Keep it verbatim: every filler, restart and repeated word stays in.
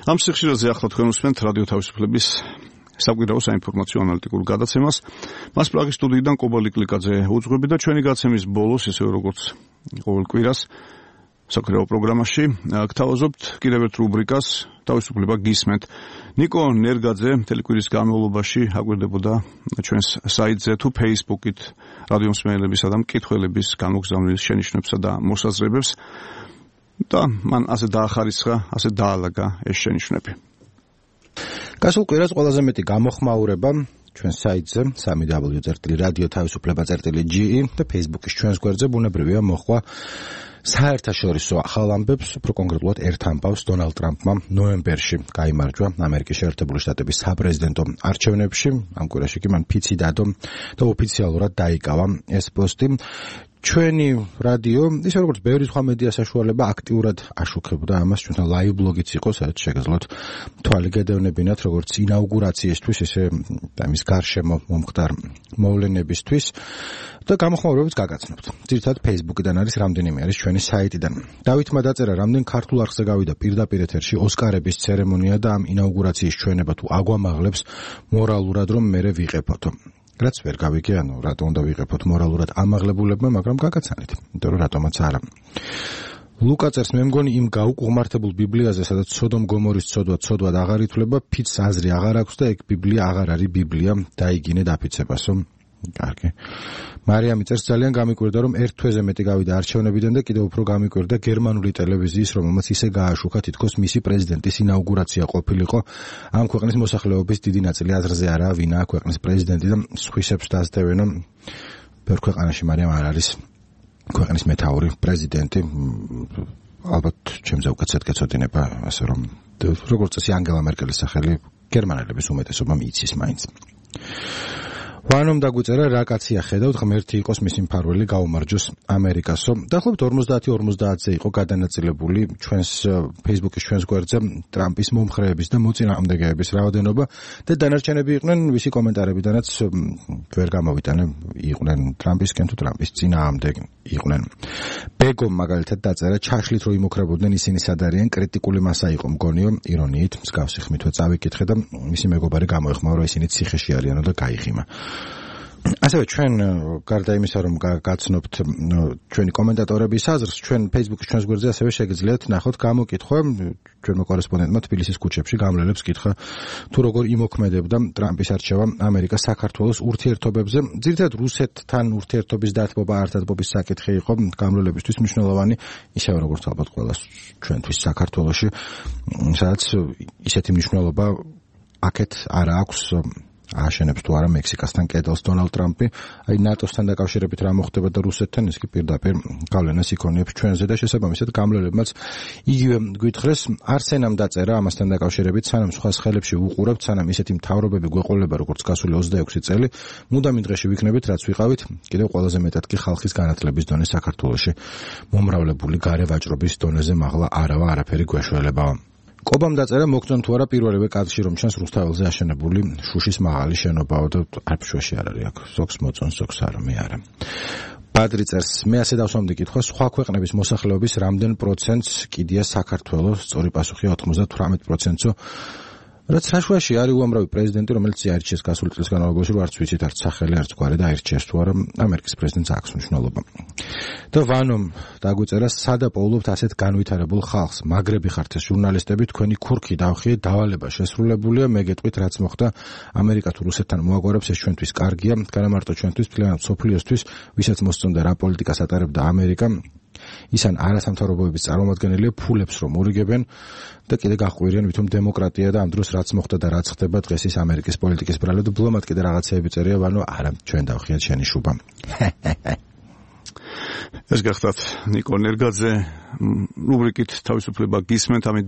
ამ სიხშირეზე ახლა თქვენ უსმენთ რადიო თავისუფლების საკვირაო საინფორმაციო ანალიტიკურ გადაცემას. მას პრაღის სტუდიიდან კობა ლიკლიკაძე უძღვები და ჩვენი გადაცემის ბოლოს, ისე როგორც ყოველ კვირას საკვირაო პროგრამაში, გთავაზობთ კიდევ ერთ რუბრიკას თავისუფლება გისმენთ. ნიკო ნერგაძე მთელი კვირის განმავლობაში აკვირდებოდა ჩვენს საიტზე თუ Facebook-ით რადიო მსმენელებისა და მკითხველების განმოგზავნილ შენიშვნებსა და მოსაზრებებს და მან ასე დაახარისხა, ასე დაალაგა ეს შენიშვნები. გასულ კვირას ყველაზე მეტი გამოხმაურება ჩვენ საიტზე სამი დაბლიუ წერტილი რადიო თავისუფლება წერტილი ჯი ი და Facebook-ის ჩვენს გვერდზე ბუნებრივია მოხვა საერთაშორისო ახალ ამბებს, უფრო კონკრეტულად ერთ ამბავს დონალდ ტრამპმა ნოემბერში გაიმარჯვა ამერიკის შეერთებული შტატების საპრეზიდენტო არჩევნებში. ამ კვირაში კი მან ფიცი დადო და ოფიციალურად დაიკავა ეს პოსტი. ჩვენი რადიო, ისე როგორც ბევრი სხვა მედია საშუალება აქტიურად აშუქებდა ამას, ჩვენთან ლაივ ბლოგიც იყო, სადაც შეგეძლოთ თვალი გედევნებინათ, როგორც ინაუგურაციისთვის, ისე ამის გარშემო მომხდარ მოვლენებისთვის და გამოხმაურებებს გაგაცნობთ. ძირითადად Facebook-დან არის, რამდენიმე არის ჩვენი საიტიდან. დავითმა დაწერა, რამდენ ქართულ არხზე გავიდა პირდაპირ ეთერში ოსკარების ცერემონია და ამ ინაუგურაციის ჩვენება თუ აგვამაღლებს მორალურად, რომ მერე ვიყეფოთო. რაც ვერ გავიგე, ანუ რატომ უნდა ვიყეფოთ მორალურად ამაღლებულებმა, მაგრამ გაგაცანით, იმიტომ რომ რატომაც არა. ლუკა წერს, მე მგონი იმ გაუკუღმართებულ ბიბლიაზე, სადაც სოდომ გომორის ცოდვა ცოდვად აღარ ითვლება, ფიცს აზრი აღარ აქვს და ეგ ბიბლია აღარ არის ბიბლია, დაიგინე დაფიცებასო. კარგი. მარიამი წერს, ძალიან გამიკვირდა, რომ ერთ თვეზე მეტი გავიდა არჩევნებიდან და კიდევ უფრო გამიკვირდა გერმანული ტელევიზიის, რომელმაც ისე გააშუქა, თითქოს მისი პრეზიდენტის ინაუგურაცია ყოფილიყო. ამ ქვეყნის მოსახლეობის დიდი ნაწილი აზრზე არაა, ვინაა ქვეყნის პრეზიდენტი და სხვისებს დასდევენ. ბევრ ქვეყანაში მარიამ არ არის ქვეყნის მეთაური პრეზიდენტი. ალბათ ჩემზე უკაცრად გეცოდინება, ასე რომ როგორც წესი ანგელა მერკელის სახელი გერმანელების უმეტესობამ იცის მაინც. ვანომ დაგვიწერა, რა კაცია ხედავთ, ღმერთი იყოს მისი მფარველი, გაუმარჯოს ამერიკასო. დაახლოებით ორმოცდაათი ორმოცდაათზე იყო გადანაწილებული ჩვენს Facebook-ის ჩვენს გვერდზე ტრამპის მომხრეების და მოწინააღმდეგეების რაოდენობა და დანარჩენები იყვნენ ვისი კომენტარებიდანაც ვერ გამოვიტანე, იყვნენ ტრამპისკენ თუ ტრამპის წინააღმდეგ იყვნენ. ბეგომ მაგალითად დაწერა, ჩაშლით რომ იმოქრებოდნენ ისინი სად არიან, კრიტიკული მასა იყო მგონიო, ირონიით, მსგავსი ხმითვე წავიკითხე და მისი მეგობარი გამოეხმაურა, ისინი ციხეში არიანო და გაიხიმა. ასევე ჩვენ გარდა იმისა, რომ გაცნობთ ჩვენი კომენტატორების აზრს, ჩვენ Facebook-ის ჩვენს გვერდზე ასევე შეგიძლიათ ნახოთ გამოკითხვა ჩვენმა კორესპონდენტმა თბილისის ქუჩებში გამლელებს კითხა თუ როგორ იმოქმედებდა ტრამპის არჩევა ამერიკას საქართველოს ურთიერთობებზე. ძირითადად რუსეთთან ურთიერთობის დათბობა, ართადბობის საკითხი იყო გამლელებისთვის მნიშვნელოვანი, ისევე როგორც ალბათ ყველა ჩვენთვის საქართველოში, სადაც ისეთი მნიშვნელობა აქეთ არა აქვს. აშენებს თუ არა მექსიკასთან კედელს დონალდ ტრამპი, აი ნატოსთან დაკავშირებით რა მოხდება და რუსეთთან, ის კი პირდაპირ გავლენას იქონიებს ჩვენზე და შესაბამისად გამლელებმაც იგივე გვითხრეს. არსენამ დაწერა ამასთან დაკავშირებით, სანამ სხვას ხელებში ვუყურებთ, სანამ ისეთი მთავრობები გვეყოლება, როგორც გასული ოცდაექვსი წელი, მუდამ იმ დღეში ვიქნებით, რაც ვიყავით, კიდევ ყველაზე მეტად კი ხალხის განათლების დონე საქართველოში მომრავლებული გარე ვაჭრობის დონეზე მაღლა არავა არაფერი გვეშველებაა. კობამ დაწერა, მოგწონთ თუ არა პირველივე კადრში რომ ჩანს რუსთაველზე აშენებული შუშის მაღალი შენობაო და არფშვეში არ არის აქ. ზოგს მოწონს, ზოგს არა, მე არა. ბადრი წერს, მე ასე დავსვამდი კითხვა, სხვა ქვეყნების მოსახლეობის რამდენ პროცენტს კიდია საქართველოს? სწორი პასუხია ოცდათვრამეტ პროცენტსო. რაც საშვაში არის უამრავი პრეზიდენტი, რომელიც იარჩიეს გასული წლის განმავლობაში, რომ არც ვიცით, არც სახელი, არც გვარი და აირჩიეს თუ არა, ამერიკის პრეზიდენტს აქვს მნიშვნელობა. და ვანომ დაგვიწერა, სადა პოულობთ ასეთ განვითარებულ ხალხს, მაგრები ხართ ეს ჟურნალისტები, თქვენი ქურქი დავხიე, დავალება შესრულებულია, მე გეტყვით, რაც მოხდა ამერიკა თუ რუსეთთან მოაგვარებს, ეს ჩვენთვის კარგია, განამარტო ჩვენთვის, მთლიანად მსოფლიოსთვის, ვისაც მოსწონდა რა პოლიტიკას ატარებდა ამერიკა, ისან არასამთავრობოების წარმომადგენელია, ფულებს რომ ურიგებენ და კიდე გაყვირიან ვითომ დემოკრატია და ამ დროს რაც მოხდა და რაც ხდება დღეს ის ამერიკის პოლიტიკის ბრალად ბლომად კიდე რაღაცეები წერია, ვანო არა, ჩვენ დავხიათ შენი შუბა. ეს გახდათ ნიკო ნერგაძე რუბრიკით თავისუფლება გისმენთ, ამით